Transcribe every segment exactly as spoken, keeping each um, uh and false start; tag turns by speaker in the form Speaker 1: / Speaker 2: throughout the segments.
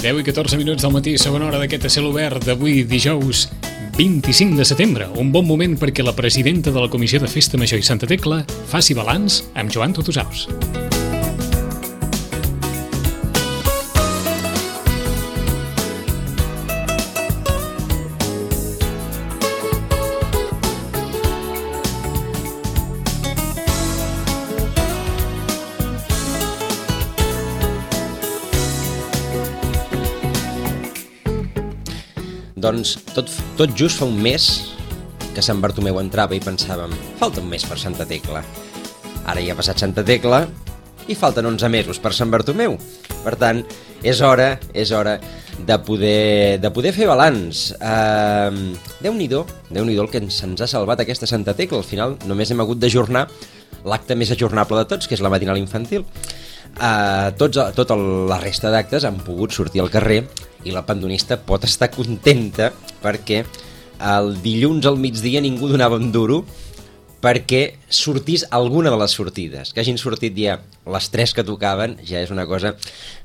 Speaker 1: deu i catorze minuts del matí, segona hora d'aquest a cel obert d'avui, dijous vint-i-cinc de setembre. Un bon moment perquè la presidenta de la Comissió de Festa Major i Santa Tecla faci balanç amb Joan Tutusaus.
Speaker 2: Doncs tot, tot just fa un mes que Sant Bartomeu entrava i pensàvem, falta un mes per Santa Tecla. Ara ja ha passat Santa Tecla i falten onze mesos per Sant Bartomeu. Per tant, és hora, és hora de poder, de poder fer balanç. Uh, Déu-n'hi-do, Déu-n'hi-do el que se'ns ha salvat aquesta Santa Tecla. Al final només hem hagut d'ajornar l'acte més ajornable de tots, que és la matinal infantil. Uh, tots, tota la resta d'actes han pogut sortir al carrer i la pandonista pot estar contenta perquè el dilluns al migdia ningú donava un duro perquè sortís alguna de les sortides. Que hagin sortit ja les tres que tocaven ja és una cosa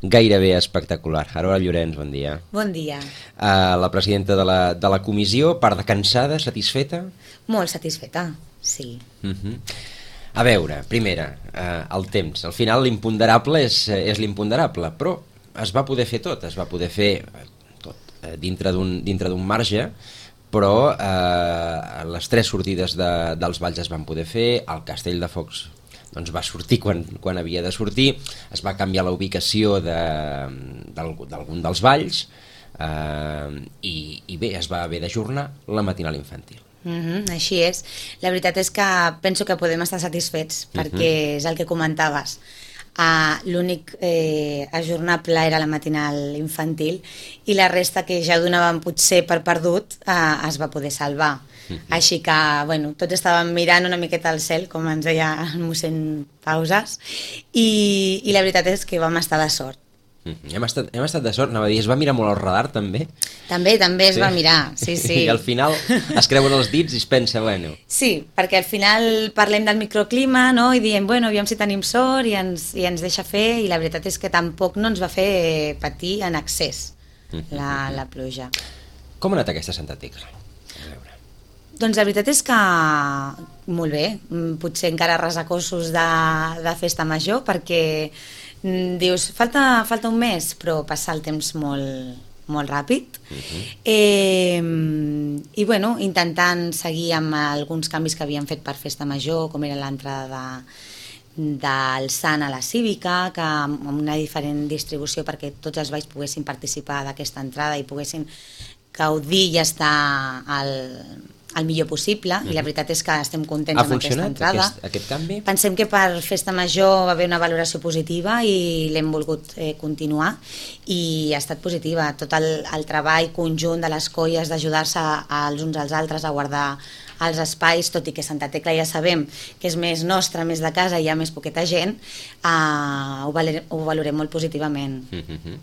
Speaker 2: gairebé espectacular. Aroa Llorenç, bon dia.
Speaker 3: Bon dia.
Speaker 2: Uh, la presidenta de la, de la comissió, part de cansada, satisfeta?
Speaker 3: Molt satisfeta, sí.
Speaker 2: Uh-huh. A veure, primera, uh, el temps. Al final l'imponderable és, és l'imponderable, però es va poder fer tot, es va poder fer tot eh, dintre d'un dintre d'un marge, però eh, les tres sortides de, dels balls es van poder fer, el Castell de Focs doncs, va sortir quan, quan havia de sortir, es va canviar la ubicació de, d'algun dels balls eh, i, i bé, es va haver d'ajornar la matinal infantil.
Speaker 3: Mm-hmm, així és. La veritat és que penso que podem estar satisfets perquè mm-hmm. és el que comentaves. Uh, l'únic eh, ajornable era la matinal infantil i la resta que ja donaven potser per perdut uh, es va poder salvar. Mm-hmm. Així que, bueno, tots estàvem mirant una miqueta al cel, com ens deia el mossèn Pauses, i, i la veritat és que vam estar de sort.
Speaker 2: Mm-hmm. Hem estat, hem estat de sort, anava a dir, es va mirar molt al radar també?
Speaker 3: També, també es sí. va mirar, sí, sí.
Speaker 2: I al final es creuen els dits i es pensa, bueno...
Speaker 3: Sí, perquè al final parlem del microclima, no?, i diem, bueno, aviam si tenim sort i ens, i ens deixa fer, i la veritat és que tampoc no ens va fer patir en excés mm-hmm. la, la pluja.
Speaker 2: Com ha anat aquesta Santa Tecla? A veure.
Speaker 3: Doncs la veritat és que molt bé, potser encara resacossos de, de festa major, perquè dius, falta, falta un mes, però passa el temps molt, molt ràpid. Uh-huh. eh, I bueno, intentant seguir amb alguns canvis que havíem fet per festa major, com era l'entrada de, del Sant a la Cívica, que amb una diferent distribució perquè tots els balls poguessin participar d'aquesta entrada i poguessin gaudir i estar al... el millor possible, uh-huh. i la veritat és que estem contents amb aquesta entrada. Ha
Speaker 2: funcionat aquest, aquest canvi?
Speaker 3: Pensem que per festa major va haver una valoració positiva i l'hem volgut eh, continuar i ha estat positiva. Tot el, el treball conjunt de les colles d'ajudar-se els uns als altres a guardar els espais, tot i que Santa Tecla ja sabem que és més nostra, més de casa, hi ha més poqueta gent, eh, ho, valorem, ho valorem molt positivament.
Speaker 2: Uh-huh.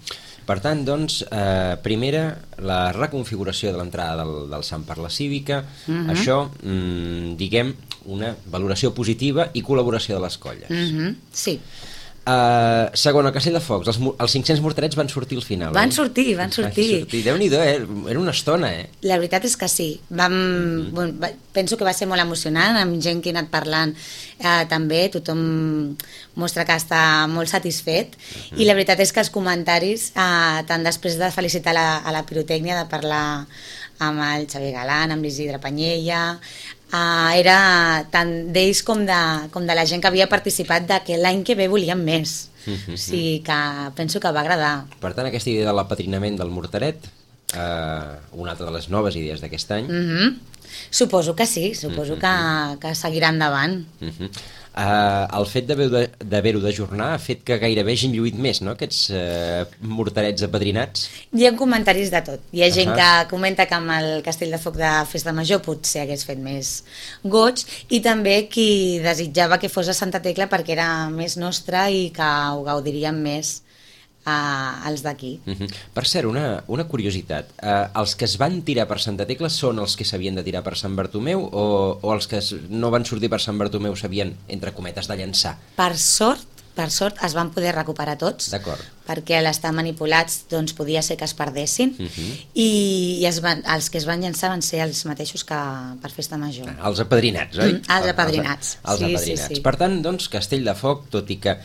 Speaker 2: Per tant, doncs, eh, primera, la reconfiguració de l'entrada del, del Sant per la Cívica, uh-huh. això, mm, diguem, una valoració positiva i col·laboració de les colles.
Speaker 3: Uh-huh. Sí.
Speaker 2: Uh, segon, el Castell de Focs, els, els cinc-cents morterets van sortir al final.
Speaker 3: Van
Speaker 2: eh?
Speaker 3: sortir, van sortir.
Speaker 2: Van sortir. Déu-n'hi-do, eh? Era una estona, eh?
Speaker 3: La veritat és que sí. Vam, mm-hmm. bueno, va, penso que va ser molt emocionant, amb gent que ha anat parlant eh, també, tothom mostra que està molt satisfet, mm-hmm. i la veritat és que els comentaris, eh, tant després de felicitar la, a la pirotècnia, de parlar amb el Xavier Galan, amb l'Isidre Panyella, Uh, era tant d'ells com de, com de la gent que havia participat de que l'any que ve volíem més. Mm-hmm. O sigui que penso que va agradar.
Speaker 2: Per tant, aquesta idea de l'apadrinament del morteret, uh, una altra de les noves idees d'aquest any.
Speaker 3: Mm-hmm. Suposo que sí, suposo mm-hmm. que, que seguirà endavant.
Speaker 2: Mm-hmm. Uh, el fet d'haver-ho d'ajornar ha fet que gairebé hagin lluït més, no?, aquests uh, morterets apadrinats.
Speaker 3: Hi ha comentaris de tot. Hi ha gent uh-huh. que comenta que amb el Castell de Foc de Festa Major potser hagués fet més goig, i també qui desitjava que fos a Santa Tecla perquè era més nostra i que ho gaudiríem més uh, els d'aquí.
Speaker 2: Uh-huh. Per cert, una, una curiositat, uh, els que es van tirar per Santa Tecla són els que s'havien de tirar per Sant Bartomeu o, o els que no van sortir per Sant Bartomeu s'havien, entre cometes, de llançar?
Speaker 3: Per sort, per sort es van poder recuperar tots.
Speaker 2: D'acord.
Speaker 3: perquè a l'estar manipulats doncs, podia ser que es perdessin, uh -huh. i, i es van, els que es van llançar van ser els mateixos que per Festa Major.
Speaker 2: Ah, els apadrinats, oi?
Speaker 3: Mm, els apadrinats.
Speaker 2: Els, els
Speaker 3: sí,
Speaker 2: apadrinats.
Speaker 3: Sí, sí.
Speaker 2: Per tant, doncs, Castelldefels, tot i que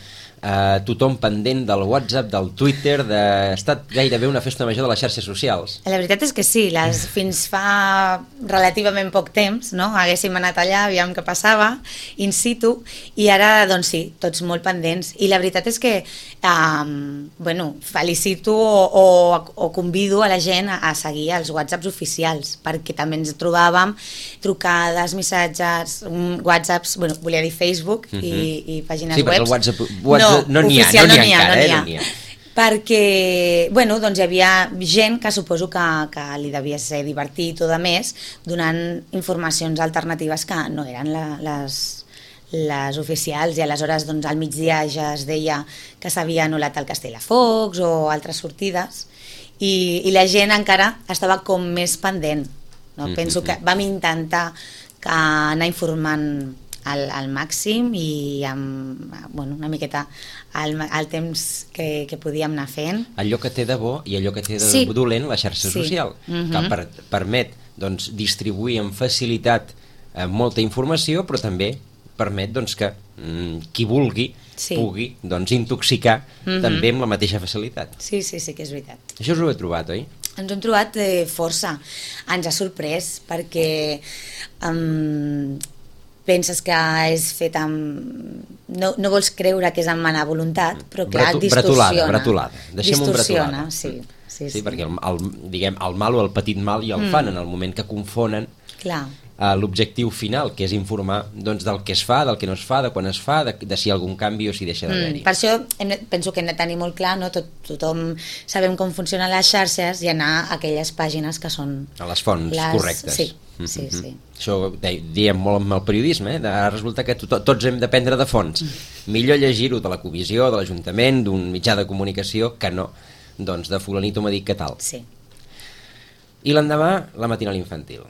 Speaker 2: Uh, tothom pendent del WhatsApp, del Twitter, de... ha estat gairebé una festa major de les xarxes socials.
Speaker 3: La veritat és que sí, les, fins fa relativament poc temps, no? Haguéssim anat allà, aviam què passava, in situ, i ara, doncs sí, tots molt pendents. I la veritat és que, um, bueno, felicito o, o, o convido a la gent a, a seguir els WhatsApps oficials, perquè també ens trobàvem trucades, missatges, whatsapps, bueno, volia dir Facebook uh -huh. i, i pàgines
Speaker 2: sí,
Speaker 3: webs.
Speaker 2: Sí, perquè el WhatsApp... WhatsApp no n'hi ha, no n'hi ha encara, eh? No n'hi ha.
Speaker 3: Perquè, bueno, doncs hi havia gent que suposo que, que li devia ser divertit o de més, donant informacions alternatives que no eren la, les, les oficials, i aleshores doncs, al migdia ja es deia que s'havia anul·lat el Castelldefels o altres sortides, i, i la gent encara estava com més pendent. No? Mm-hmm. Penso que vam intentar que anar informant Al, al màxim i amb, bueno, una miqueta al, al temps que, que podíem anar fent.
Speaker 2: Allò que té de bo i allò que té de
Speaker 3: sí.
Speaker 2: dolent la xarxa sí. social, uh-huh. que per, permet doncs, distribuir amb facilitat eh, molta informació, però també permet doncs, que mm, qui vulgui sí. pugui doncs, intoxicar uh-huh. també amb la mateixa facilitat.
Speaker 3: Sí, sí, sí que és veritat.
Speaker 2: Això us ho he trobat, oi?
Speaker 3: Ens ho hem trobat eh, força. Ens ha sorprès perquè... Um, penses que és fet amb... No, no vols creure que és amb mala voluntat, però clar, Bratu, distorsiona.
Speaker 2: Bretolada, bretolada. Deixem-ho
Speaker 3: distorsiona,
Speaker 2: bretolada.
Speaker 3: Sí, sí,
Speaker 2: sí,
Speaker 3: sí.
Speaker 2: perquè el, el, diguem, el mal o el petit mal ja el mm. fan en el moment que confonen uh, l'objectiu final, que és informar doncs, del que es fa, del que no es fa, de quan es fa, de, de si hi ha algun canvi o si deixa d'haver-hi.
Speaker 3: Mm, per això hem, penso que hem de tenir molt clar, no? Tot, tothom sabem com funcionen les xarxes i anar a aquelles pàgines que són...
Speaker 2: A les fonts
Speaker 3: les...
Speaker 2: correctes.
Speaker 3: Sí, mm-hmm. sí, sí.
Speaker 2: Això diem molt amb el periodisme, eh? Ara resulta que to tots hem d'aprendre de fonts. Millor llegir-ho de la comissió, de l'Ajuntament, d'un mitjà de comunicació, que no doncs, de fulanito m'ha dit que tal.
Speaker 3: Sí.
Speaker 2: I l'endemà, la matinal infantil.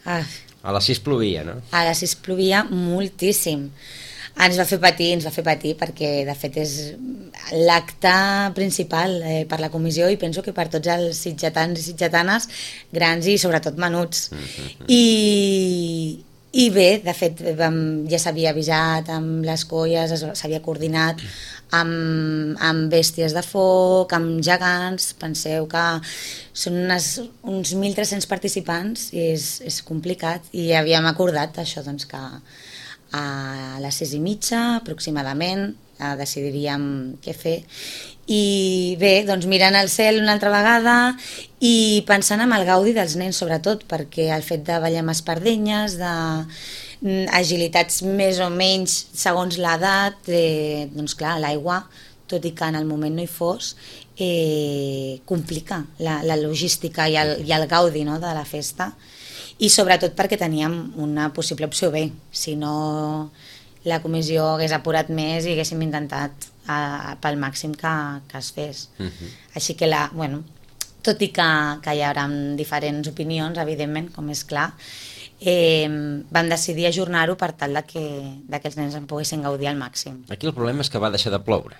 Speaker 3: Ah.
Speaker 2: A les sis plovia, no?
Speaker 3: A les sis plovia moltíssim. Ens va fer patir, ens va fer patir, perquè de fet és l'acte principal eh, per la comissió i penso que per tots els sitgetans i sitgetanes, grans i sobretot menuts. Mm-hmm. I, I bé, de fet, vam, ja s'havia avisat amb les colles, s'havia coordinat amb, amb bèsties de foc, amb gegants. Penseu que són unes, uns mil tres-cents participants i és, és complicat, i havíem acordat això, doncs, que a les sis i mitja aproximadament eh, decidiríem què fer, i bé, doncs mirant al cel una altra vegada i pensant en el gaudi dels nens sobretot, perquè el fet de ballar amb espardenyes, de agilitats més o menys segons l'edat, eh, doncs clar, l'aigua, tot i que en el moment no hi fos, eh, complica la, la logística i el, i el gaudi, no?, de la festa. I sobretot perquè teníem una possible opció B, si no la comissió hagués apurat més i haguéssim intentat uh, pel màxim que, que es fes. Uh-huh. Així que, la, bueno, tot i que, que hi haurà diferents opinions, evidentment, com és clar, eh, vam decidir ajornar-ho per tal de que, de que els nens en poguessin gaudir al màxim.
Speaker 2: Aquí el problema és que va deixar de ploure.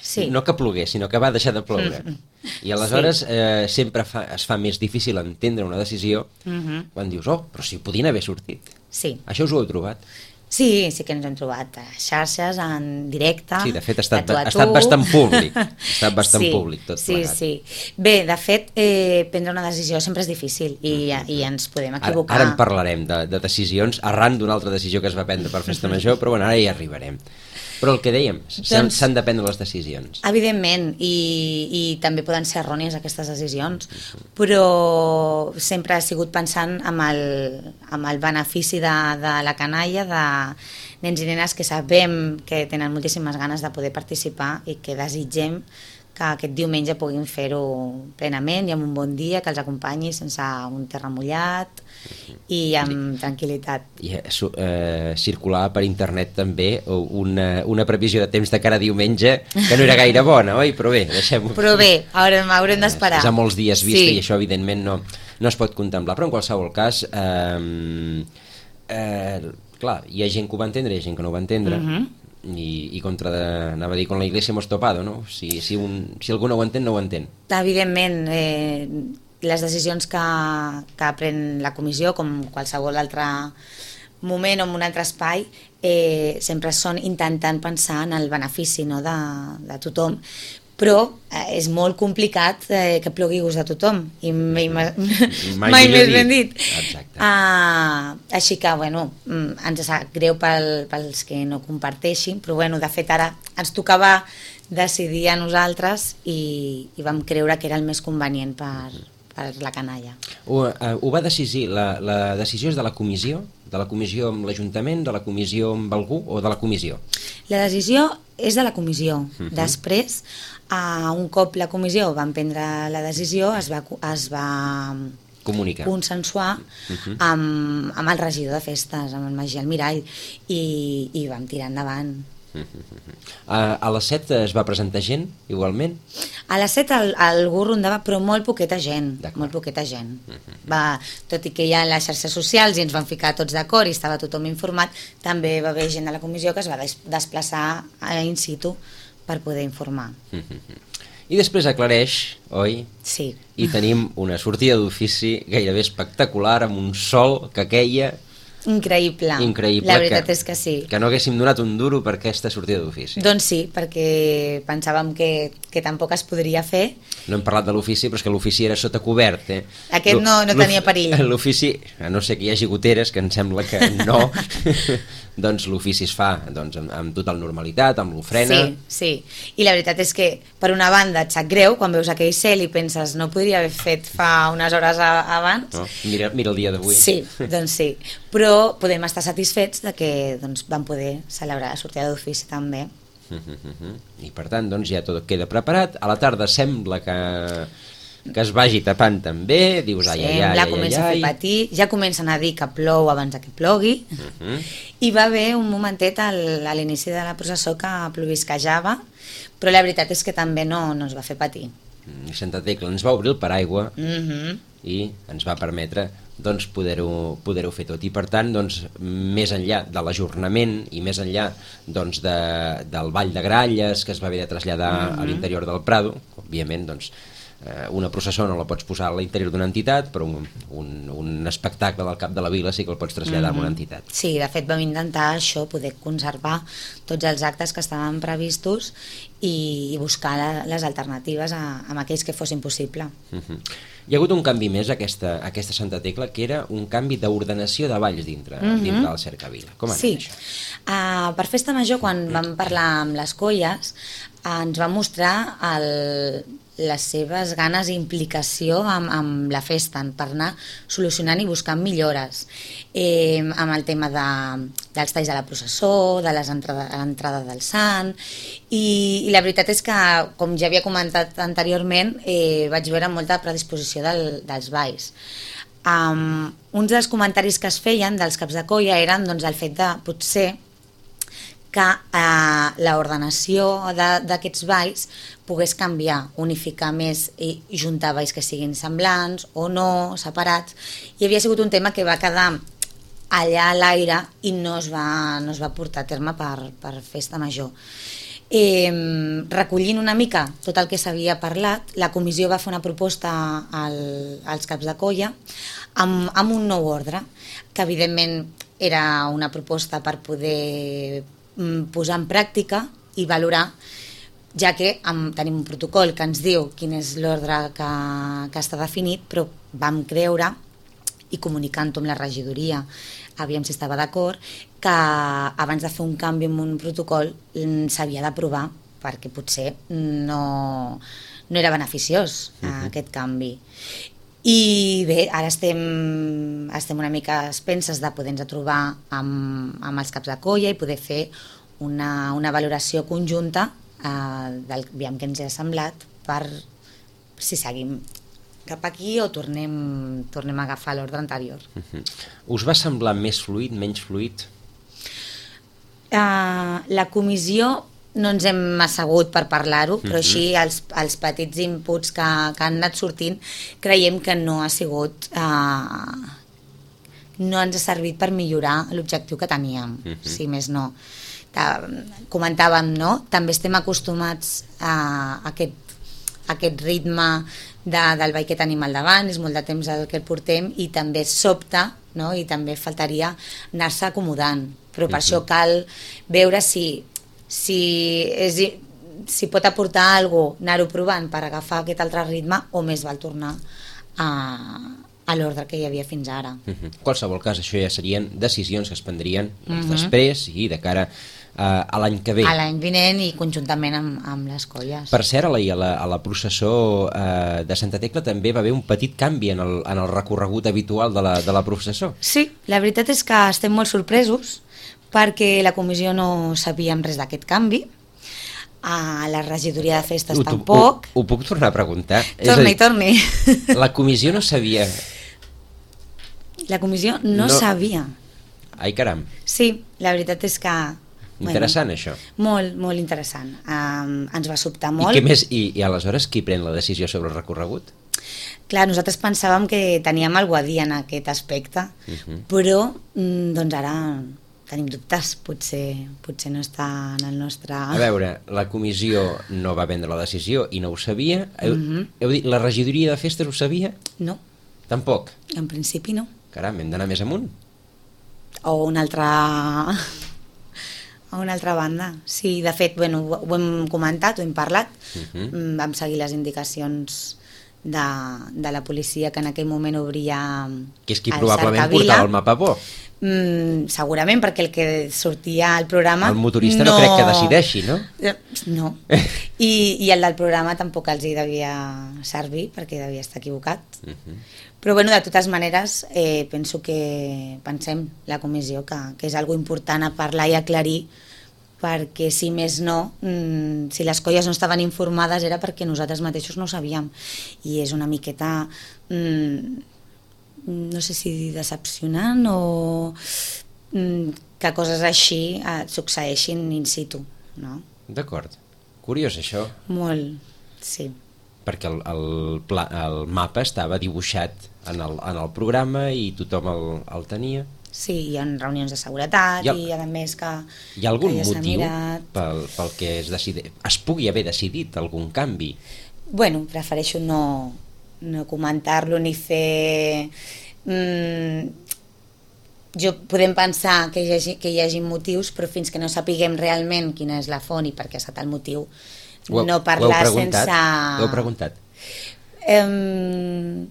Speaker 3: Sí.
Speaker 2: No que plogués, sinó que va deixar de ploure. Mm-hmm. I aleshores sí. eh, sempre fa, es fa més difícil entendre una decisió mm-hmm. quan dius, oh, però si podien haver sortit.
Speaker 3: Sí.
Speaker 2: Això us ho heu trobat?
Speaker 3: Sí, sí que ens hem trobat a xarxes, en directe.
Speaker 2: Sí, de fet ha estat, ha estat bastant públic. Ha estat bastant
Speaker 3: sí,
Speaker 2: públic tot
Speaker 3: sí,
Speaker 2: plegat.
Speaker 3: Sí, sí. Bé, de fet, eh, prendre una decisió sempre és difícil i, mm-hmm. i ens podem equivocar.
Speaker 2: Ara, ara en parlarem de, de decisions arran d'una altra decisió que es va prendre per Festa Major, però bueno, ara hi arribarem. Però el que dèiem, s'han doncs, de prendre les decisions.
Speaker 3: Evidentment, i, i també poden ser errònies aquestes decisions, però sempre ha sigut pensant amb el, amb el benefici de, de la canalla, de nens i nenes que sabem que tenen moltíssimes ganes de poder participar i que desitgem que aquest diumenge puguin fer-ho plenament i amb un bon dia, que els acompanyi sense un terra mullat i amb tranquil·litat. I
Speaker 2: eh, circular per internet també una, una previsió de temps de cara a diumenge que no era gaire bona, oi? Però bé, deixem-ho.
Speaker 3: Però bé, haurem, haurem d'esperar.
Speaker 2: És a molts dies vista
Speaker 3: sí.
Speaker 2: i això evidentment no, no es pot contemplar, però en qualsevol cas eh, eh, clar, hi ha gent que ho va entendre i hi ha gent que no ho va entendre. Uh-huh. i, i contra, de, anava a dir, con la iglesia hemos topado, no? Si, si, un, si algú no ho entén, no ho entén.
Speaker 3: Evidentment, eh, les decisions que, que pren la comissió, com qualsevol altre moment o en un altre espai, eh, sempre són intentant pensar en el benefici, no, de, de tothom, però eh, és molt complicat eh, que plogui gust de tothom i mai, mai, mai més ben dit. Uh, així que, bueno, ens sap greu pel, pels que no comparteixin, però bueno, de fet ara ens tocava decidir a nosaltres i, i vam creure que era el més convenient per, per la canalla.
Speaker 2: Ho, uh, ho va decidir, la, la decisió és de la comissió? De la comissió amb l'Ajuntament, de la comissió amb algú o de la comissió?
Speaker 3: La decisió és de la comissió. Uh-huh. Després, uh, un cop la comissió va prendre la decisió, es va, es va
Speaker 2: comunicar,
Speaker 3: consensuar uh-huh. amb, amb el regidor de festes, amb el Magí Almirall, i, i vam tirar endavant.
Speaker 2: A, a les set es va presentar gent, igualment?
Speaker 3: A les set el, algú rondava, però molt poqueta gent, molt poqueta gent. Va, tot i que hi ha les xarxes socials i ens van ficar tots d'acord i estava tothom informat, també va haver gent de la comissió que es va des desplaçar in situ per poder informar.
Speaker 2: I després aclareix, oi?
Speaker 3: Sí.
Speaker 2: I tenim una sortida d'ofici gairebé espectacular, amb un sol que queia...
Speaker 3: Increïble.
Speaker 2: Increïble.
Speaker 3: La veritat
Speaker 2: que,
Speaker 3: és que sí.
Speaker 2: Que no haguéssim donat un duro per aquesta sortida d'ofici.
Speaker 3: Doncs sí, perquè pensàvem que, que tampoc es podria fer.
Speaker 2: No hem parlat de l'ofici, però és que l'ofici era sota cobert. Eh?
Speaker 3: Aquest no, no tenia perill.
Speaker 2: L'ofici, a no ser que hi hagi goteres, que em sembla que no, doncs l'ofici es fa doncs, amb, amb total normalitat, amb l'ofrena.
Speaker 3: Sí, sí. I la veritat és que, per una banda, et sap greu quan veus aquell cel i penses no podria haver fet fa unes hores a, abans.
Speaker 2: No? Mira, mira el dia d'avui.
Speaker 3: Sí, doncs sí. Però podem estar satisfets de que doncs, vam poder celebrar la sortida d'ofici també.
Speaker 2: Uh -huh, uh -huh. I per tant doncs, ja tot queda preparat. A la tarda sembla que, que es vagi tapant també. Dius, ai, ai, ai, ai,
Speaker 3: comença
Speaker 2: ai,
Speaker 3: a fer patir, ja comencen a dir que plou abans que plogui. Uh -huh. I va haver un momentet al, a l'inici de la processó que plovisquejava, però la veritat és que també no, no es va fer patir.
Speaker 2: Santa Tecla ens va obrir el paraigua uh
Speaker 3: -huh.
Speaker 2: i ens va permetre doncs, poder-ho poder-ho fer tot. I per tant, doncs, més enllà de l'ajornament i més enllà doncs, de, del Ball de Gralles, que es va haver de traslladar uh -huh. a l'interior del Prado, òbviament, doncs, eh, una processó no la pots posar a l'interior d'una entitat, però un, un, un espectacle del cap de la vila sí que el pots traslladar uh -huh. a una entitat.
Speaker 3: Sí, de fet vam intentar això, poder conservar tots els actes que estaven previstos i, i buscar la, les alternatives a, a aquells que fossin possible.
Speaker 2: Uh -huh. Hi ha hagut un canvi més aquesta, aquesta Santa Tecla, que era un canvi d'ordenació de balls dintre, uh -huh. dintre del Cercavila. Com ha anat
Speaker 3: sí.
Speaker 2: això?
Speaker 3: Uh, per Festa Major, quan vam parlar amb les colles, uh, ens va mostrar el, les seves ganes i implicació amb, amb la festa, per anar solucionant i buscant millores, eh, amb el tema de, dels talls de la processó, de l'entrada del sant, i, i la veritat és que, com ja havia comentat anteriorment, eh, vaig veure molta predisposició del, dels balls. Um, uns dels comentaris que es feien dels caps de colla eren doncs, el fet de potser que eh, l'ordenació d'aquests balls pogués canviar, unificar més i juntar balls que siguin semblants o no, separats, i havia sigut un tema que va quedar allà a l'aire i no es va, no es va portar a terme per, per Festa Major. Eh, recollint una mica tot el que s'havia parlat, la comissió va fer una proposta al, als caps de colla amb, amb un nou ordre, que evidentment era una proposta per poder posar en pràctica i valorar, ja que amb, tenim un protocol que ens diu quin és l'ordre que, que està definit, però vam creure, i comunicant-ho amb la regidoria, aviam si estava d'acord, que abans de fer un canvi en un protocol s'havia d'aprovar, perquè potser no, no era beneficiós uh-huh. aquest canvi. I bé, ara estem, estem una mica expenses de poder-nos trobar amb, amb els caps de colla i poder fer una, una valoració conjunta eh, del aviam que ens ha semblat per si seguim cap aquí o tornem, tornem a agafar l'ordre anterior.
Speaker 2: Uh-huh. Us va semblar més fluid, menys fluid?
Speaker 3: Uh, la comissió no ens hem assegut per parlar-ho, però uh-huh. així els, els petits inputs que, que han anat sortint creiem que no ha sigut uh, no ens ha servit per millorar l'objectiu que teníem, uh-huh. si més no. comentàvem, no? També estem acostumats a aquest, a aquest ritme de, del ball que tenim al davant, és molt de temps el que el portem i també sobta, no? I també faltaria anar-se acomodant, però per uh-huh. això cal veure si, si, és, si pot aportar alguna cosa, anar-ho provant per agafar aquest altre ritme o més val tornar a, a l'ordre que hi havia fins ara.
Speaker 2: Uh-huh. En qualsevol cas, això ja serien decisions que es prendrien doncs, uh-huh. després i de cara Uh, a l'any que ve.
Speaker 3: A l'any vinent i conjuntament amb, amb les colles.
Speaker 2: Per cert, a la, a la, a la processó uh, de Santa Tecla també va haver un petit canvi en el, en el recorregut habitual de la, de la processó.
Speaker 3: Sí, la veritat és que estem molt sorpresos perquè la comissió no sabíem res d'aquest canvi, a la regidoria de festes
Speaker 2: ho,
Speaker 3: tampoc.
Speaker 2: Ho, ho puc tornar a preguntar?
Speaker 3: Torni, torni.
Speaker 2: La comissió no sabia...
Speaker 3: La comissió no, no sabia.
Speaker 2: Ai, caram.
Speaker 3: Sí, la veritat és que...
Speaker 2: Interessant, bueno, això.
Speaker 3: Molt, molt interessant. Um, ens va sobtar molt.
Speaker 2: I què més? I, I aleshores qui pren la decisió sobre el recorregut?
Speaker 3: Clar, nosaltres pensàvem que teníem alguna a dir en aquest aspecte, uh-huh. però doncs ara tenim dubtes, potser, potser no està en el nostre...
Speaker 2: A veure, la comissió no va prendre la decisió i no ho sabia. Heu, uh-huh. heu dit, la regidoria de festes ho sabia?
Speaker 3: No.
Speaker 2: Tampoc?
Speaker 3: En principi no.
Speaker 2: Caram, hem d'anar més amunt.
Speaker 3: O una altra... a una altra banda. Sí, de fet, bueno, ho, ho hem comentat, ho hem parlat, uh-huh. vam seguir les indicacions de, de la policia que en aquell moment obria
Speaker 2: que és qui probablement portava el mapa bo.
Speaker 3: Mm, segurament, perquè el que sortia al programa...
Speaker 2: El motorista no, no crec que decideixi, no?
Speaker 3: No. I, I el del programa tampoc els hi devia servir, perquè devia estar equivocat. Uh-huh. Però, bueno, de totes maneres, eh, penso que pensem, la comissió, que, que és algo important a parlar i aclarir, perquè si més no, mmm, si les colles no estaven informades era perquè nosaltres mateixos no ho sabíem. I és una miqueta... Mmm, no sé si decepcionant o mm, que coses així eh, succeeixin in situ, no?
Speaker 2: D'acord. Curiós, això.
Speaker 3: Molt, sí.
Speaker 2: Perquè el, el, pla, el mapa estava dibuixat en el, en el programa i tothom el, el tenia.
Speaker 3: Sí, hi ha reunions de seguretat
Speaker 2: ha,
Speaker 3: i a més que...
Speaker 2: Hi ha algun
Speaker 3: ja
Speaker 2: motiu pel, pel que es, decidi, es pugui haver decidit algun canvi?
Speaker 3: Bueno, prefereixo no... no comentar-lo ni fer... Mm, jo podem pensar que hi, hagi, que hi hagi motius, però fins que no sapiguem realment quina és la font i per què ha estat el motiu,
Speaker 2: ho,
Speaker 3: no parlar
Speaker 2: ho sense... Ho heu preguntat?
Speaker 3: Um,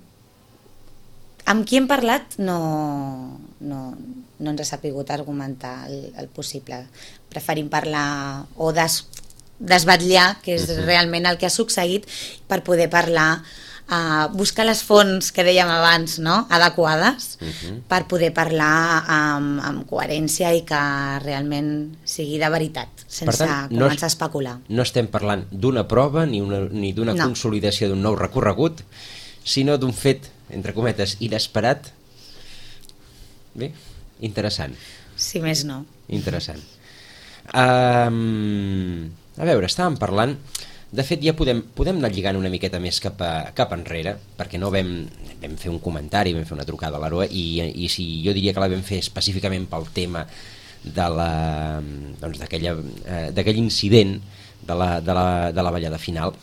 Speaker 3: amb qui hem parlat no, no, no ens ha sapigut argumentar el, el possible. Preferim parlar o des, desvetllar què és uh-huh. realment el que ha succeït per poder parlar, Uh, buscar les fonts que dèiem abans, no? Adequades, uh-huh. per poder parlar amb, amb coherència i que realment sigui de veritat, sense tant, començar no, a especular.
Speaker 2: No estem parlant d'una prova ni, una, ni d'una no. consolidació d'un nou recorregut, sinó d'un fet, entre cometes, inesperat. Bé, interessant.
Speaker 3: Si més no.
Speaker 2: Interessant. Um, a veure, estàvem parlant... De fet, ja podem, podem anar lligant una miqueta més cap, a, cap enrere, perquè no vam, vam fer un comentari, vam fer una trucada a l'Aroa, i, i si jo diria que la vam fer específicament pel tema de la, doncs d'aquella, eh, d'aquell incident de la, de, la, de la ballada final.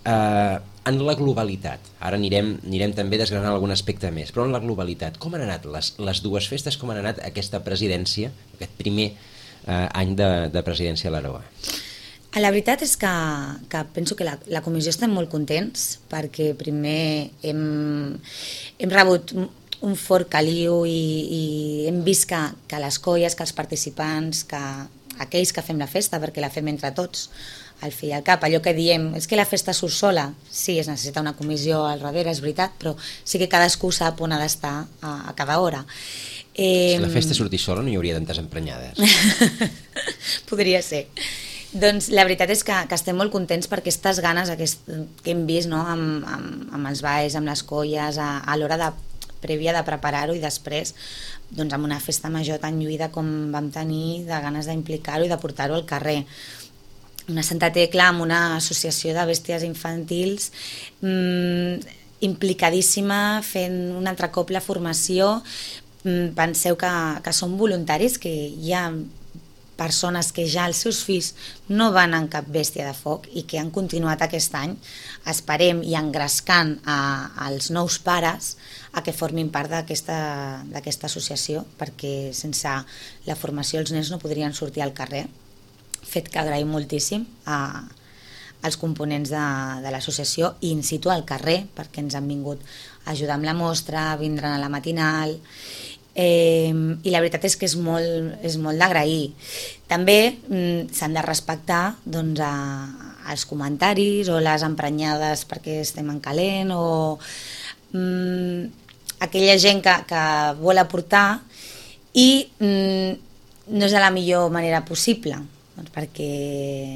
Speaker 2: Eh, en la globalitat, ara anirem, anirem també desgranant algun aspecte més, però en la globalitat, com han anat les, les dues festes, com han anat aquesta presidència, aquest primer eh, any de, de presidència a l'Aroa?
Speaker 3: La veritat és que, que penso que la, la comissió estem molt contents perquè primer hem, hem rebut un fort caliu i, i hem vist que, que les colles, que els participants, que aquells que fem la festa, perquè la fem entre tots, al fi i al cap, allò que diem, és que la festa surt sola, sí, es necessita una comissió al darrere, és veritat, però sí que cadascú sap on ha d'estar a, a cada hora.
Speaker 2: Eh, si la festa sortís sola no hi hauria tantes emprenyades.
Speaker 3: Podria ser. Doncs la veritat és que, que estem molt contents per aquestes ganes aquest, que hem vist, no? amb, amb, amb els balls, amb les colles, a, a l'hora de, prèvia de preparar-ho i després doncs, amb una festa major tan lluïda com vam tenir, de ganes d'implicar-ho i de portar-ho al carrer. Una Santa Tecla amb una associació de bèsties infantils mmm, implicadíssima, fent un altre cop la formació. Mm, penseu que, que són voluntaris, que hi ha persones que ja els seus fills no van en cap bèstia de foc i que han continuat aquest any, esperem i engrescant a, als nous pares a que formin part d'aquesta d'aquesta associació, perquè sense la formació els nens no podrien sortir al carrer, fet que agraïm moltíssim a, als components de, de l'associació i in situ al carrer, perquè ens han vingut a ajudar amb la mostra, vindran a la matinal, eh, i la veritat és que és molt, és molt d'agrair. També mm, s'han de respectar doncs, a, els comentaris o les emprenyades perquè estem en calent o mm, aquella gent que, que vol aportar i mm, no és de la millor manera possible. Doncs perquè...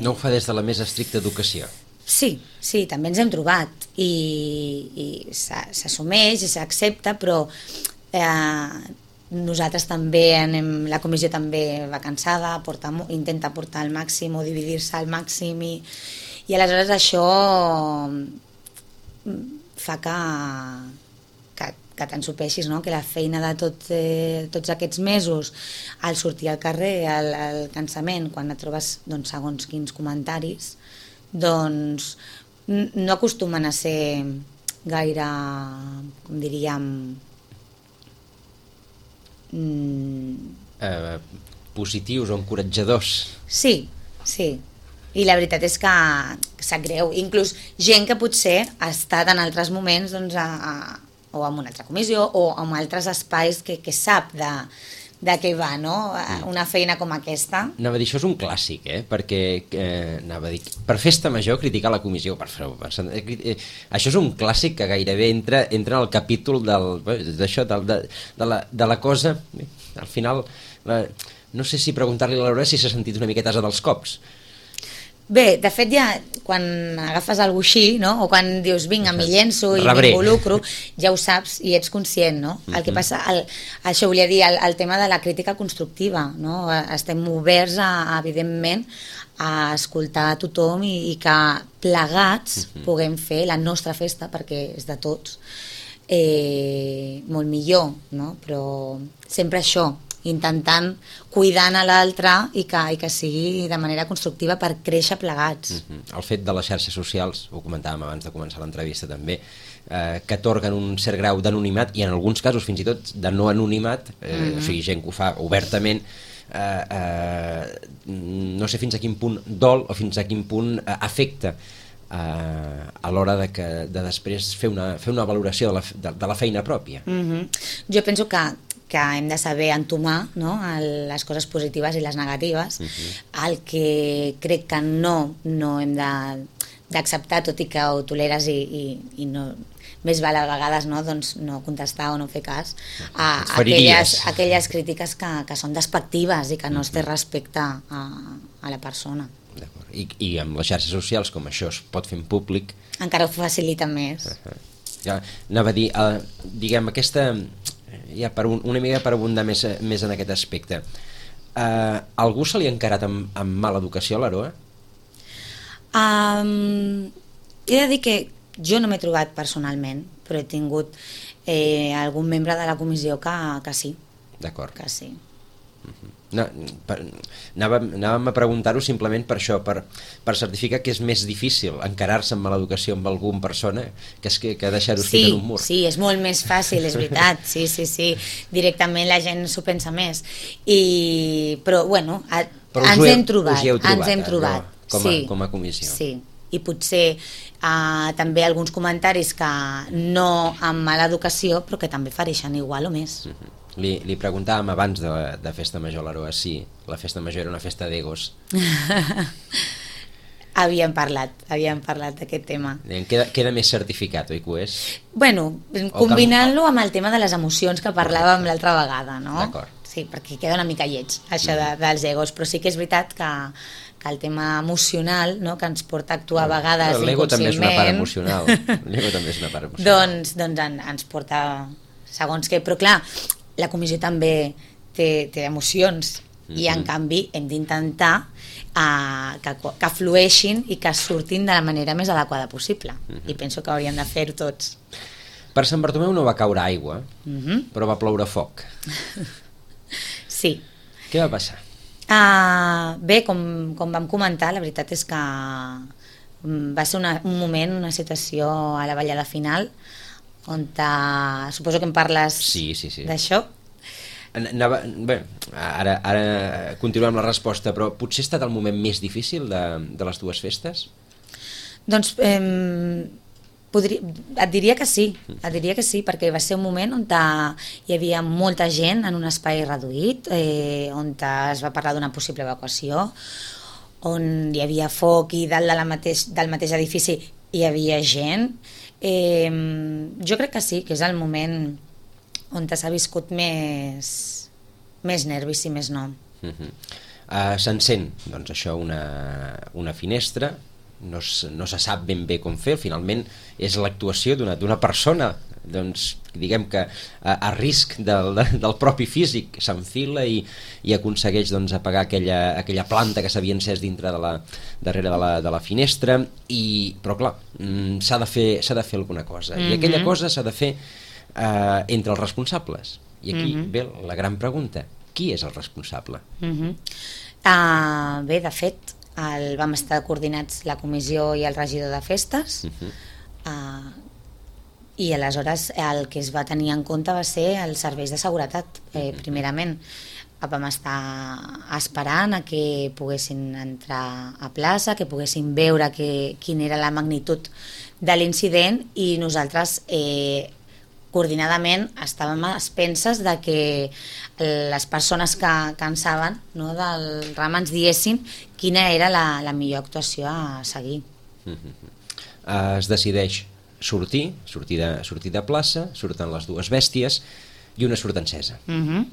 Speaker 2: No ho fa des de la més estricta educació.
Speaker 3: Sí, sí, també ens hem trobat i, i s'assumeix i s'accepta, però eh, nosaltres també anem, la comissió també va cansada, porta, intenta portar al màxim o dividir-se al màxim i, i aleshores això fa que, que, que t'ensopeixis, no? Que la feina de tot, eh, tots aquests mesos, al sortir al carrer, al, al cansament, quan et trobes doncs, segons quins comentaris, doncs no acostumen a ser gaire, com diríem, mm...
Speaker 2: eh, positius o encoratjadors.
Speaker 3: Sí, sí. I la veritat és que sap greu. Inclús gent que potser ha estat en altres moments doncs, a, a, o en una altra comissió o en altres espais que, que sap de, de què va, no? Una feina com aquesta.
Speaker 2: Anava a dir, això és un clàssic, eh? Perquè, eh, anava a dir, per festa major criticar la comissió, per, per, per, eh, això és un clàssic que gairebé entra, entra en el capítol del, d'això, de, de, de, la, de la cosa, eh, al final, la, no sé si preguntar-li a l'Aurora si s'ha sentit una miqueta asa dels cops.
Speaker 3: Bé, de fet ja quan agafes algú així, no? O quan dius vinga, m'hi llenço i m'involucro, ja ho saps i ets conscient, no? Uh-huh. El que passa, el, això volia dir, el, el tema de la crítica constructiva, no? Estem oberts a, a evidentment a escoltar a tothom i, i que plegats uh-huh. puguem fer la nostra festa, perquè és de tots, eh, molt millor, no? Però sempre això, intentant cuidant a l'altre i, que, i que sigui de manera constructiva per créixer plegats.
Speaker 2: Mm-hmm. El fet de les xarxes socials, ho comentàvem abans de començar l'entrevista també, eh, que atorguen un cert grau d'anonimat i en alguns casos fins i tot de no anonimat, eh, mm-hmm. o sigui, gent que ho fa obertament, eh, eh, no sé fins a quin punt dol o fins a quin punt eh, afecta eh, a l'hora de, que, de després fer una, fer una valoració de la, de, de la feina pròpia.
Speaker 3: Mm-hmm. Jo penso que que hem de saber entomar, no? Les coses positives i les negatives. Uh-huh. El que crec que no, no hem d'acceptar, tot i que ho toleres i, i, i no, més val a vegades no, doncs no contestar o no fer cas a aquelles, aquelles crítiques que, que són despectives i que no es té respecte a, a la persona.
Speaker 2: I, I amb les xarxes socials, com això es pot fer en públic...
Speaker 3: Encara ho facilita més.
Speaker 2: Uh-huh. Ja, anava a dir, uh, diguem, aquesta... ja per un, una mica per abundar més, més en aquest aspecte. Uh, algú se li ha encarat amb, amb mala educació a l'Aroa?
Speaker 3: Um, he de dir que jo no m'he trobat personalment, però he tingut eh, algun membre de la comissió que, que sí.
Speaker 2: D'acord.
Speaker 3: Que sí.
Speaker 2: Uh-huh. No, per, anàvem, anàvem a preguntar-ho simplement per això, per, per certificar que és més difícil encarar-se amb mala educació amb alguna persona que, és que, que deixar-ho escrit
Speaker 3: sí,
Speaker 2: en un mur.
Speaker 3: Sí, és molt més fàcil, és veritat, sí, sí, sí, directament la gent s'ho pensa més, I, però bueno, a,
Speaker 2: però
Speaker 3: ens
Speaker 2: heu,
Speaker 3: hem trobat,
Speaker 2: trobat,
Speaker 3: ens hem trobat,
Speaker 2: no? com, a,
Speaker 3: sí,
Speaker 2: com a comissió.
Speaker 3: Sí, i potser uh, també alguns comentaris que no amb mala educació, però que també fareixen igual o més.
Speaker 2: Uh-huh. Li, li preguntàvem abans de, de Festa Major a l'Aroa si la Festa Major era una festa d'egos.
Speaker 3: havíem parlat, havíem parlat d'aquest tema.
Speaker 2: Queda, queda més certificat, oi que ho és?
Speaker 3: Bueno, combinant-lo amb el tema de les emocions que parlàvem l'altra vegada, no?
Speaker 2: D'acord.
Speaker 3: Sí, perquè queda una mica lleig, això de, dels egos, però sí que és veritat que, que el tema emocional, no?, que ens porta a actuar a vegades inconscientment...
Speaker 2: L'ego també és una part emocional. L'ego també és una part emocional.
Speaker 3: doncs doncs en, ens porta segons què, però clar, la comissió també té, té emocions mm-hmm. i en canvi hem d'intentar uh, que, que flueixin i que surtin de la manera més adequada possible mm-hmm. i penso que hauríem de fer-ho tots.
Speaker 2: Per Sant Bartomeu no va caure aigua,
Speaker 3: mm-hmm.
Speaker 2: però va ploure foc.
Speaker 3: Sí.
Speaker 2: Què va passar?
Speaker 3: Uh, bé, com, com vam comentar, la veritat és que va ser una, un moment, una situació a la ballada final on te, suposo que em parles
Speaker 2: sí, sí, sí.
Speaker 3: d'això.
Speaker 2: Anava, bé, ara, ara continuem la resposta, però potser ha estat el moment més difícil de, de les dues festes?
Speaker 3: Doncs eh, podria, et diria que sí, et diria que sí, perquè va ser un moment on te, hi havia molta gent en un espai reduït, eh, on te es va parlar d'una possible evacuació, on hi havia foc i dalt de la mateix, del mateix edifici hi havia gent. Eh, jo crec que sí, que és el moment on s'ha viscut més, més nervis i més no.
Speaker 2: Uh -huh. uh, S'encén, doncs això, una, una finestra, no, no se sap ben bé com fer, finalment és l'actuació d'una d'una persona, doncs diguem que a, a risc del, del propi físic s'enfila i, i aconsegueix doncs, apagar aquella, aquella planta que s'havia encès dintre de la, darrere de la, de la finestra, i, però clar, s'ha de fer, s'ha de fer alguna cosa, mm-hmm. i aquella cosa s'ha de fer eh, entre els responsables, i aquí mm-hmm. ve la gran pregunta: qui és el responsable?
Speaker 3: Mm-hmm. uh, bé, de fet el, vam estar coordinats la comissió i el regidor de festes, mm-hmm. uh, i aleshores el que es va tenir en compte va ser els serveis de seguretat, eh, primerament. Vam estar esperant a que poguessin entrar a plaça, que poguessin veure que, quina era la magnitud de l'incident, i nosaltres eh, coordinadament estàvem a expenses de que les persones que, que en saben, no, del ram ens diessin quina era la, la millor actuació a seguir.
Speaker 2: Uh, es decideix sortir, sortir de, sortir de plaça, surten les dues bèsties i una surt encesa. Uh-huh.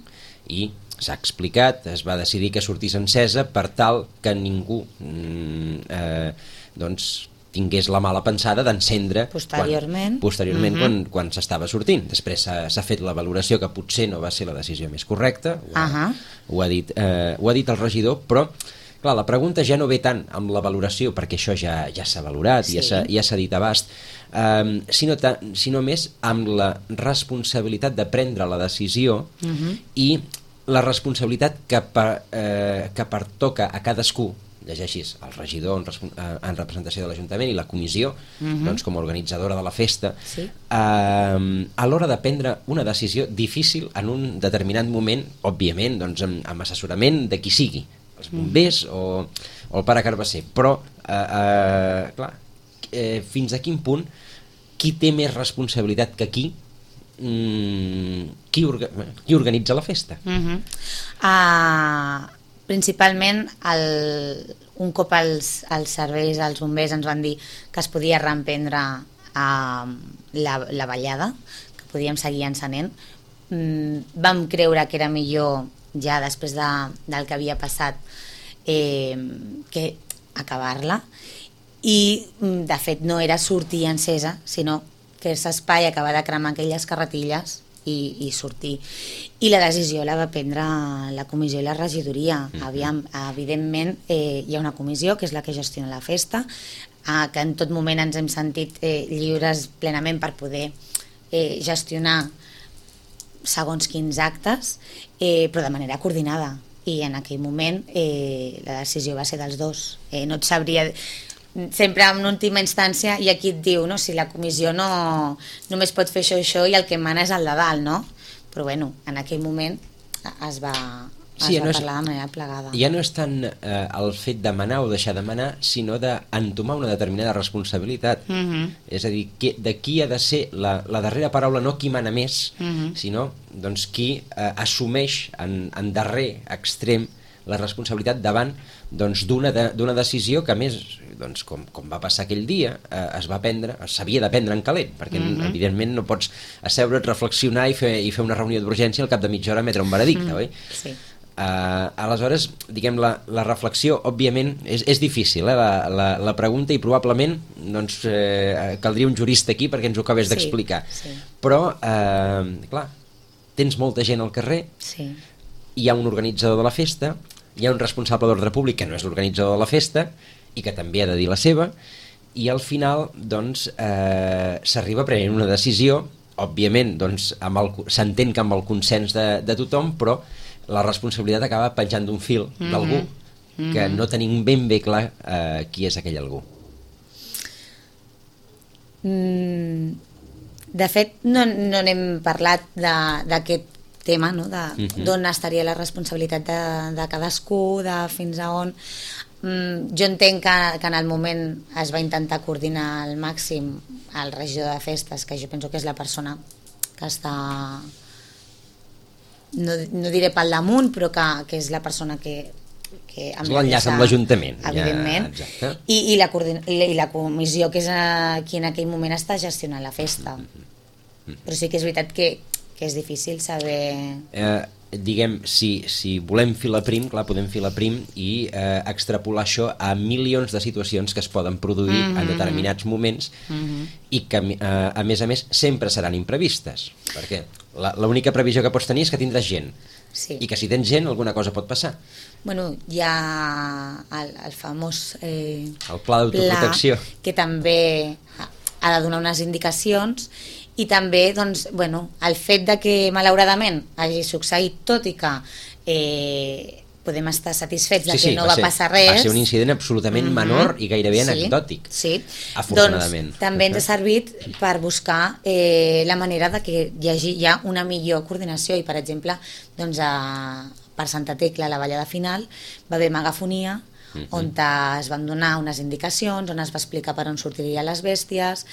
Speaker 2: I s'ha explicat, es va decidir que sortís encesa per tal que ningú mm, eh, doncs tingués la mala pensada d'encendre
Speaker 3: posteriorment,
Speaker 2: quan, posteriorment
Speaker 3: uh-huh.
Speaker 2: quan, quan s'estava sortint. Després s'ha fet la valoració que potser no va ser la decisió més correcta, ho ha, uh-huh. ho ha, dit, eh, ho ha dit el regidor, però clar, la pregunta ja no ve tant amb la valoració, perquè això ja, ja s'ha valorat, sí. ja s'ha ja dit abast, um, sinó, ta, sinó més amb la responsabilitat de prendre la decisió uh-huh. i la responsabilitat que, per, eh, que pertoca a cadascú, llegeixis el regidor en, en representació de l'Ajuntament i la comissió, uh-huh. doncs, com a organitzadora de la festa, sí. eh, a l'hora de prendre una decisió difícil en un determinat moment, òbviament doncs, amb, amb assessorament de qui sigui, els bombers mm. o, o el pare Carbasser, però eh, eh, clar, eh, fins a quin punt qui té més responsabilitat que qui, mm, qui, orga, qui organitza la festa?
Speaker 3: Mm-hmm. uh, principalment el, un cop els, els serveis, els bombers ens van dir que es podia reemprendre uh, la, la ballada, que podíem seguir encenent, mm, vam creure que era millor ja després de, del que havia passat eh, que acabar-la, i de fet no era sortir encesa, sinó fer-se espai, acabar de cremar aquelles carretilles i, i sortir. I la decisió la va prendre la comissió i la regidoria. Mm-hmm. Aviam, evidentment eh, hi ha una comissió que és la que gestiona la festa, eh, que en tot moment ens hem sentit eh, lliures plenament per poder eh, gestionar segons quins actes, eh, però de manera coordinada, i en aquell moment eh, la decisió va ser dels dos. Eh, no et sabria, sempre en última instància hi ha qui et diu, no, si la comissió no només pot fer això i això i el que mana és el de dalt, no? Però bueno, en aquell moment es va, es sí, va no parlar és, de manera plegada.
Speaker 2: Ja no és tant eh, el fet de manar o deixar de manar, sinó d'entomar una determinada responsabilitat. Mm-hmm. És a dir, que, de qui ha de ser la, la darrera paraula, no qui mana més, mm-hmm. sinó doncs, qui eh, assumeix en, en darrer extrem la responsabilitat davant doncs, d'una de, d'una decisió que, a més, doncs, com, com va passar aquell dia, eh, es va prendre, s'havia de prendre en calent, perquè mm-hmm. evidentment no pots asseure't, reflexionar i fer, i fer una reunió d'urgència al cap de mitja hora emetre un veredicte, mm-hmm. oi? Sí. Uh, aleshores, diguem, la, la reflexió, òbviament, és, és difícil, eh, la, la, la pregunta, i probablement doncs, eh, caldria un jurista aquí perquè ens ho acabés sí, d'explicar. Sí. Però, eh, clar, tens molta gent al carrer, sí. hi ha un organitzador de la festa, hi ha un responsable d'ordre públic que no és l'organitzador de la festa i que també ha de dir la seva, i al final doncs, eh, s'arriba prenent una decisió, òbviament doncs, amb el, s'entén que amb el consens de, de tothom, però la responsabilitat acaba penjant d'un fil
Speaker 3: Mm-hmm.
Speaker 2: d'algú que
Speaker 3: Mm-hmm.
Speaker 2: no tenim ben bé clar eh, qui és aquell algú.
Speaker 3: Mm, de fet, no, no n'hem parlat de- d'aquest tema, no? de
Speaker 2: Mhm.
Speaker 3: d'on estaria la responsabilitat de, de cadascú, de fins a on. Mm, jo entenc que, que en el moment es va intentar coordinar al màxim el regidor de festes, que jo penso que és la persona que està, no, no diré pel damunt, però que, que és la persona que, que
Speaker 2: És l'enllaç amb l'Ajuntament.
Speaker 3: evidentment,
Speaker 2: Ja, exacte.
Speaker 3: i, i, la coordina- i, la, i la comissió que és a, qui en aquell moment està gestionant la festa. Però sí que és veritat que, que és difícil saber...
Speaker 2: Eh, diguem, si, si volem filar prim, clar, podem filar prim i eh, extrapolar això a milions de situacions que es poden produir
Speaker 3: Mm-hmm.
Speaker 2: en determinats moments
Speaker 3: Mhm.
Speaker 2: i que, eh, a més a més, sempre seran imprevistes. Perquè la- l'única previsió que pots tenir és que tindràs gent.
Speaker 3: Sí.
Speaker 2: I que si tens gent, alguna cosa pot passar.
Speaker 3: Bueno, hi ha el, el famós eh,
Speaker 2: El pla d'autoprotecció.
Speaker 3: pla que també ha, ha de donar unes indicacions, i també doncs, bueno, el fet de que malauradament hagi succeït, tot i que eh, podem estar satisfets de que no va,
Speaker 2: ser,
Speaker 3: passar res,
Speaker 2: va ser un incident absolutament
Speaker 3: Mhm.
Speaker 2: menor i gairebé
Speaker 3: Sí,
Speaker 2: anecdòtic.
Speaker 3: sí.
Speaker 2: Afortunadament.
Speaker 3: Doncs també ens ha servit per buscar eh, la manera de que hi hagi ja una millor coordinació, i per exemple doncs, a, per Santa Tecla, a la ballada final va haver megafonia,
Speaker 2: Mhm.
Speaker 3: on es van donar unes indicacions, on es va explicar per on sortirien les bèsties,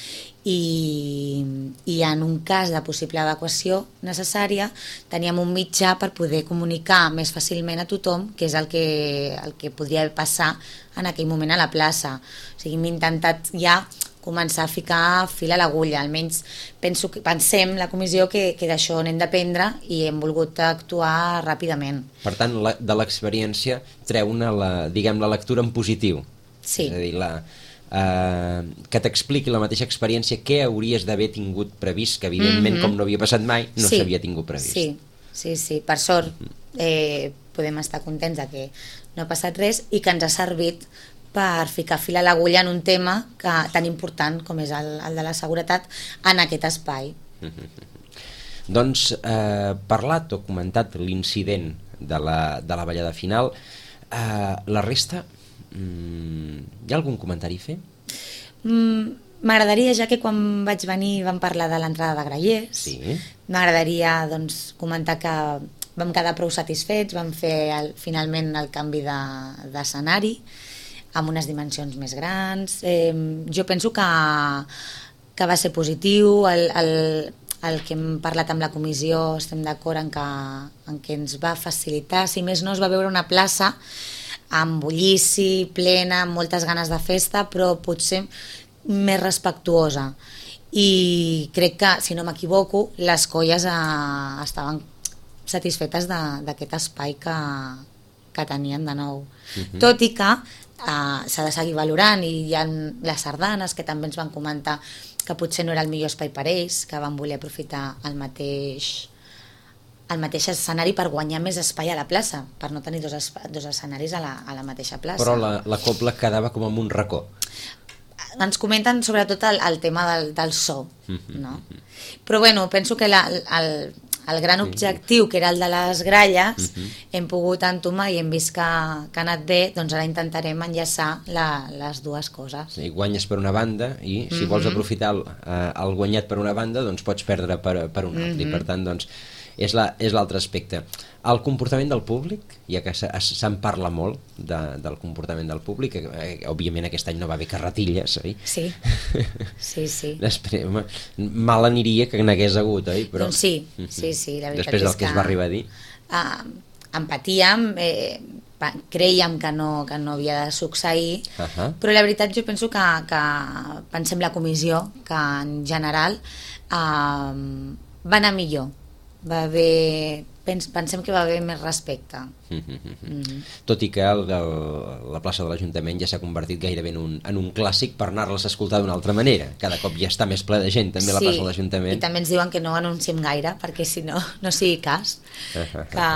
Speaker 3: i, i en un cas de possible evacuació necessària teníem un mitjà per poder comunicar més fàcilment a tothom què és el que, el que podria passar en aquell moment a la plaça. O sigui, hem intentat ja començar a ficar fil a l'agulla, almenys penso que, pensem la comissió que, que d'això n'hem d'aprendre i hem volgut actuar ràpidament.
Speaker 2: Per tant, la, de l'experiència treu-ne la, diguem, la lectura en positiu.
Speaker 3: Sí.
Speaker 2: És a dir, la, eh, que t'expliqui la mateixa experiència què hauries d'haver tingut previst, que evidentment,
Speaker 3: Mhm.
Speaker 2: com no havia passat mai, no
Speaker 3: Sí.
Speaker 2: s'havia tingut previst.
Speaker 3: Sí, sí, sí. Per sort eh, podem estar contents de que no ha passat res i que ens ha servit per ficar fil a l'agulla en un tema que, tan important com és el, el de la seguretat en aquest espai.
Speaker 2: Doncs, eh, parlat o comentat l'incident de la, de la ballada final, eh, la resta, mm, hi ha algun comentari a fer?
Speaker 3: Mm, M'agradaria, ja que quan vaig venir vam parlar de l'entrada de grallers,
Speaker 2: Sí.
Speaker 3: m'agradaria doncs, comentar que vam quedar prou satisfets, vam fer el, finalment el canvi de- d'escenari amb unes dimensions més grans. Eh, jo penso que, que va ser positiu, el, el, el que hem parlat amb la comissió, estem d'acord en, que, en que ens va facilitar, si més no es va veure una plaça amb bullici, plena, amb moltes ganes de festa, però potser més respectuosa, i crec que, si no m'equivoco, les colles eh, estaven satisfetes de- d'aquest espai que, que tenien de nou.
Speaker 2: Mhm.
Speaker 3: Tot i que eh, s'ha de seguir valorant, i hi ha les sardanes que també ens van comentar que potser no era el millor espai per ells, que van voler aprofitar el mateix el mateix escenari per guanyar més espai a la plaça, per no tenir dos, espa- dos escenaris a la, a la mateixa plaça.
Speaker 2: Però la, la cobla quedava com en un racó.
Speaker 3: Ens comenten sobretot el, el tema del, del so, no? Però bueno, penso que la, el, el gran objectiu, que era el de les gralles, hem pogut entomar i hem vist que, que ha anat bé, doncs ara intentarem enllaçar la, les dues coses.
Speaker 2: Sí, guanyes per una banda i si vols aprofitar el, eh, el guanyat per una banda, doncs pots perdre per, per una altra. I per tant, doncs, és la- és l'altre aspecte. El comportament del públic, ja que se- es- se'n parla molt de, del comportament del públic, que, eh, òbviament aquest any no va haver carretilles, oi?
Speaker 3: Sí, sí, sí.
Speaker 2: Després, home, mal aniria que n'hagués hagut, oi? Però,
Speaker 3: Doncs sí, sí, sí, la veritat
Speaker 2: després del
Speaker 3: és
Speaker 2: que es
Speaker 3: que-
Speaker 2: va arribar a dir.
Speaker 3: Uh, empatíem, eh, pa- creiem que no, que no havia de succeir,
Speaker 2: Ahà.
Speaker 3: però la veritat jo penso que, que pensem la comissió que en general uh, va anar millor, va haver, pens, pensem que va haver més respecte. Mm.
Speaker 2: Tot i que el, el, la plaça de l'Ajuntament ja s'ha convertit gairebé en un, en un clàssic per anar-les a escoltar d'una altra manera. Cada cop ja està més ple de gent, també, la plaça de l'Ajuntament.
Speaker 3: I també ens diuen que no anunciem gaire, perquè si no, no sigui cas, que,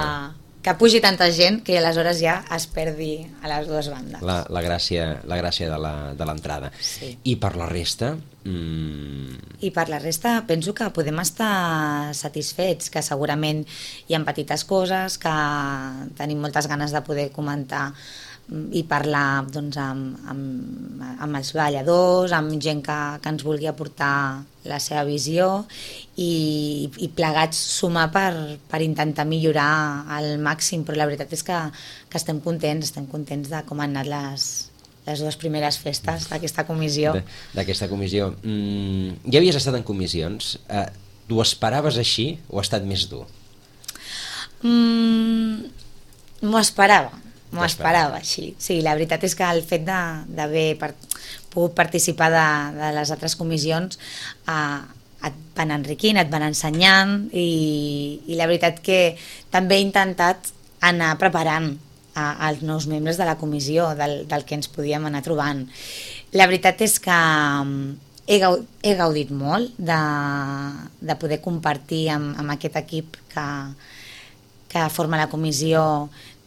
Speaker 3: que pugi tanta gent que aleshores ja es perdi a les dues bandes.
Speaker 2: La, la gràcia, la gràcia de l'entrada.
Speaker 3: Sí.
Speaker 2: I per la resta... Mmm...
Speaker 3: I per la resta penso que podem estar satisfets, que segurament hi ha petites coses, que tenim moltes ganes de poder comentar i parlar doncs, amb, amb, amb els balladors, amb gent que, que ens vulgui aportar la seva visió i, i plegats sumar per, per intentar millorar al màxim, però la veritat és que, que estem contents, estem contents de com han anat les, les dues primeres festes d'aquesta comissió.
Speaker 2: D'aquesta comissió. Mm, ja havies estat en comissions. Eh, tu esperaves així o ha estat més dur?
Speaker 3: Mm, m'ho esperava. M'ho esperava així. Sí, la veritat és que el fet d'haver per, pogut participar de, de les altres comissions eh, et van enriquint, et van ensenyant i, i la veritat que també he intentat anar preparant a, als nous membres de la comissió, del, del que ens podíem anar trobant. La veritat és que he, gaud, he gaudit molt de, de poder compartir amb, amb aquest equip que, que forma la comissió,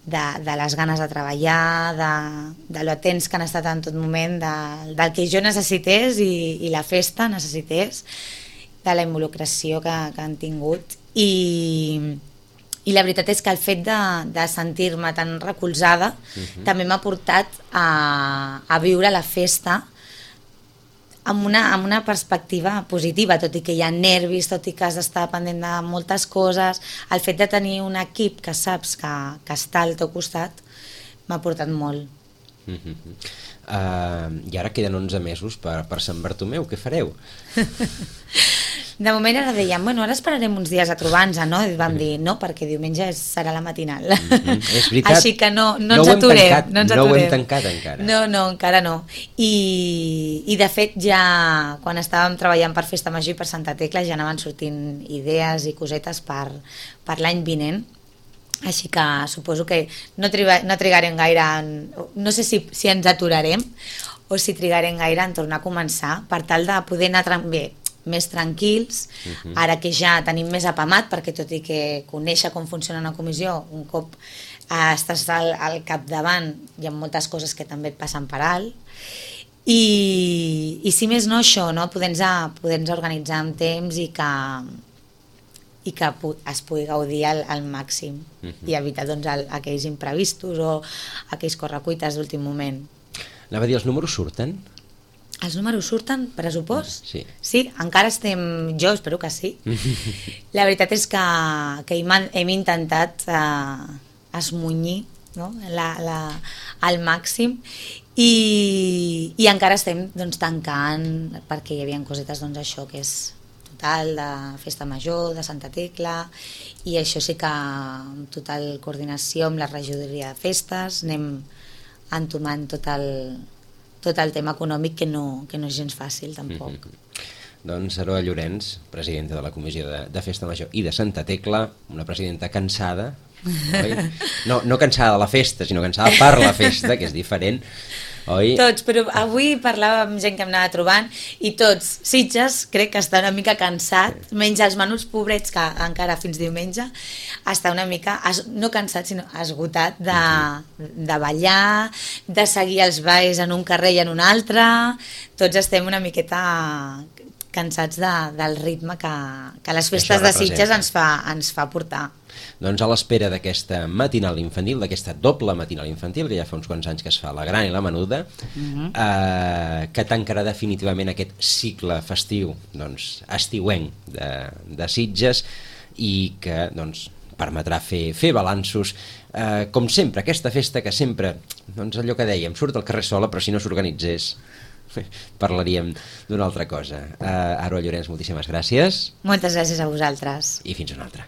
Speaker 3: De, de les ganes de treballar, de, de lo atents que han estat en tot moment, de, del que jo necessités i, i la festa necessités, de la involucració que, que han tingut. I, i la veritat és que el fet de, de sentir-me tan recolzada uh-huh. també m'ha portat a, a viure la festa amb una, amb una perspectiva positiva, tot i que hi ha nervis, tot i que has d'estar pendent de moltes coses, el fet de tenir un equip que saps que, que està al teu costat m'ha portat molt.
Speaker 2: Mm-hmm. uh, I ara queden onze mesos per, per Sant Bartomeu, què fareu?
Speaker 3: De moment ara dèiem, bueno, ara esperarem uns dies a trobar-nos, no? I vam dir, no, perquè diumenge serà la matinal.
Speaker 2: Mm-hmm. És veritat.
Speaker 3: Així que no, no,
Speaker 2: no
Speaker 3: ens aturem.
Speaker 2: Tancat,
Speaker 3: no ens
Speaker 2: no
Speaker 3: aturem.
Speaker 2: ho hem tancat encara.
Speaker 3: No, no, encara no. I, I de fet ja, quan estàvem treballant per Festa Major i per Santa Tecla, ja anaven sortint idees i cosetes per, per l'any vinent. Així que suposo que no, triga, no trigarem gaire, en, no sé si, si ens aturarem o si trigarem gaire en tornar a començar, per tal de poder anar bé, més tranquils, uh-huh. ara que ja tenim més apamat, perquè tot i que conèixer com funciona una comissió, un cop eh, estàs al, al capdavant, hi ha moltes coses que també et passen per alt, i, i si més no això, no? poder-nos poder organitzar amb temps i que, i que es pugui gaudir al, al màxim uh-huh. i evitar doncs, el, aquells imprevistos o aquells correcuites d'últim moment.
Speaker 2: Anava a dir, els números surten?
Speaker 3: Els números surten, pressupost?
Speaker 2: Sí.
Speaker 3: Sí, encara estem... Jo espero que sí. La veritat és que, que hem, hem intentat eh, esmunyir, no? la, la, al màxim i, i encara estem doncs, tancant, perquè hi havia cosetes doncs, això que és total, de Festa Major, de Santa Tecla, i això sí que amb total coordinació amb la regidoria de festes anem entomant tot el... tot el tema econòmic que no, que no és gens fàcil tampoc.
Speaker 2: Mm-hmm. Doncs Aroa Llorenç, presidenta de la Comissió de, de Festa Major i de Santa Tecla, una presidenta cansada, oi? No, no cansada de la festa, sinó cansada per la festa, que és diferent, oi?
Speaker 3: Tots, però avui parlava amb gent que em anava trobant i tots, Sitges, crec que està una mica cansat, menys els menuts pobrets que encara fins diumenge, està una mica, no cansat, sinó esgotat de, de ballar, de seguir els balls en un carrer i en un altre, tots estem una miqueta cansats de, del ritme que, que les festes de Sitges ens fa, ens fa portar.
Speaker 2: Doncs a l'espera d'aquesta matinal infantil, d'aquesta doble matinal infantil, que ja fa uns quants anys que es fa, la gran i la menuda, uh-huh. eh, que tancarà definitivament aquest cicle festiu, doncs, estiuenc de, de Sitges, i que doncs, permetrà fer, fer balanços, eh, com sempre, aquesta festa que sempre, doncs allò que dèiem, surt al carrer sola, però si no s'organitzés, parlaríem d'una altra cosa. Uh, Aroa Llorenç, moltíssimes gràcies.
Speaker 3: Moltes gràcies a vosaltres.
Speaker 2: I fins una altra.